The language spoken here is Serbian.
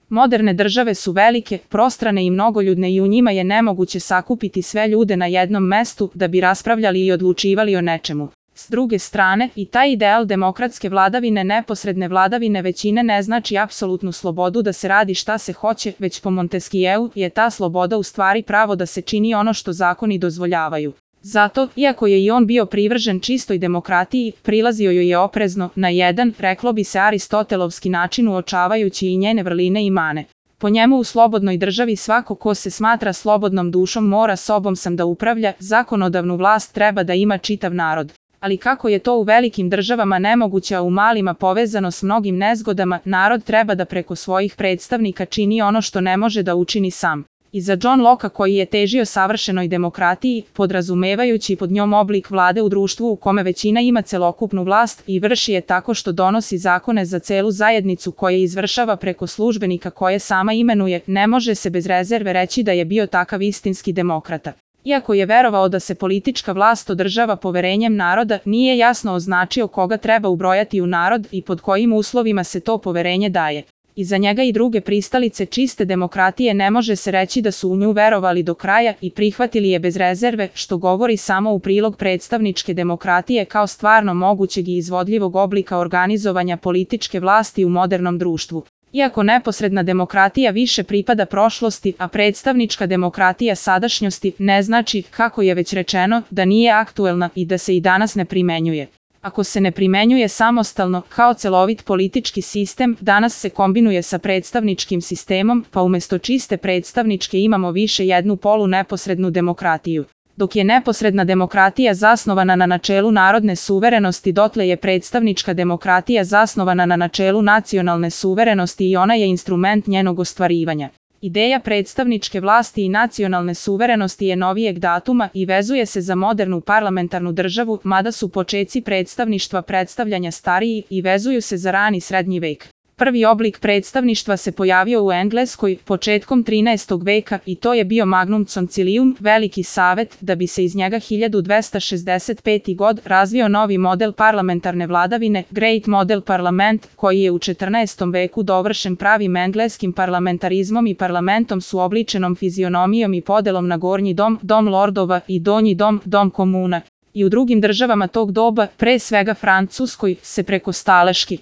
Moderne države su velike, prostrane i mnogoljudne i u njima je nemoguće sakupiti sve ljude na jednom mestu da bi raspravljali i odlučivali o nečemu. S druge strane, i taj ideal demokratske vladavine, neposredne vladavine većine ne znači apsolutnu slobodu da se radi šta se hoće, već po Montesquieu je ta sloboda u stvari pravo da se čini ono što zakoni dozvoljavaju. Zato, iako je i on bio privržen čistoj demokratiji, prilazio joj je oprezno, na jedan, reklo bi se aristotelovski način, uočavajući i njene vrline i mane. Po njemu u slobodnoj državi svako ko se smatra slobodnom dušom mora sobom sam da upravlja, zakonodavnu vlast treba da ima čitav narod. Ali kako je to u velikim državama nemoguće, a u malima povezano s mnogim nezgodama, narod treba da preko svojih predstavnika čini ono što ne može da učini sam. I za John Locke, koji je težio savršenoj demokratiji, podrazumevajući pod njom oblik vlade u društvu u kome većina ima celokupnu vlast i vrši je tako što donosi zakone za celu zajednicu koje izvršava preko službenika koje sama imenuje, ne može se bez rezerve reći da je bio takav istinski demokrata. Iako je verovao da se politička vlast održava poverenjem naroda, nije jasno označio koga treba ubrojati u narod i pod kojim uslovima se to poverenje daje. I za njega i druge pristalice čiste demokratije ne može se reći da su u nju verovali do kraja i prihvatili je bez rezerve, što govori samo u prilog predstavničke demokratije kao stvarno mogućeg i izvodljivog oblika organizovanja političke vlasti u modernom društvu. Iako neposredna demokratija više pripada prošlosti, a predstavnička demokratija sadašnjosti, ne znači, kako je već rečeno, da nije aktuelna i da se i danas ne primenjuje. Ako se ne primenjuje samostalno, kao celovit politički sistem, danas se kombinuje sa predstavničkim sistemom, pa umjesto čiste predstavničke imamo više jednu polu neposrednu demokratiju. Dok je neposredna demokratija zasnovana na načelu narodne suverenosti, dotle je predstavnička demokratija zasnovana na načelu nacionalne suverenosti i ona je instrument njenog ostvarivanja. Ideja predstavničke vlasti i nacionalne suverenosti je novijeg datuma i vezuje se za modernu parlamentarnu državu, mada su počeci predstavništva predstavljanja stariji i vezuju se za rani srednji vek. Prvi oblik predstavništva se pojavio u Engleskoj početkom 13. veka i to je bio Magnum Concilium, veliki savet, da bi se iz njega 1265. god razvio novi model parlamentarne vladavine, Great Model Parlament, koji je u 14. veku dovršen pravim engleskim parlamentarizmom i parlamentom s uobličenom fizionomijom i podelom na gornji dom, dom lordova i donji dom, dom komuna. I u drugim državama tog doba, pre svega Francuskoj, se preko staleški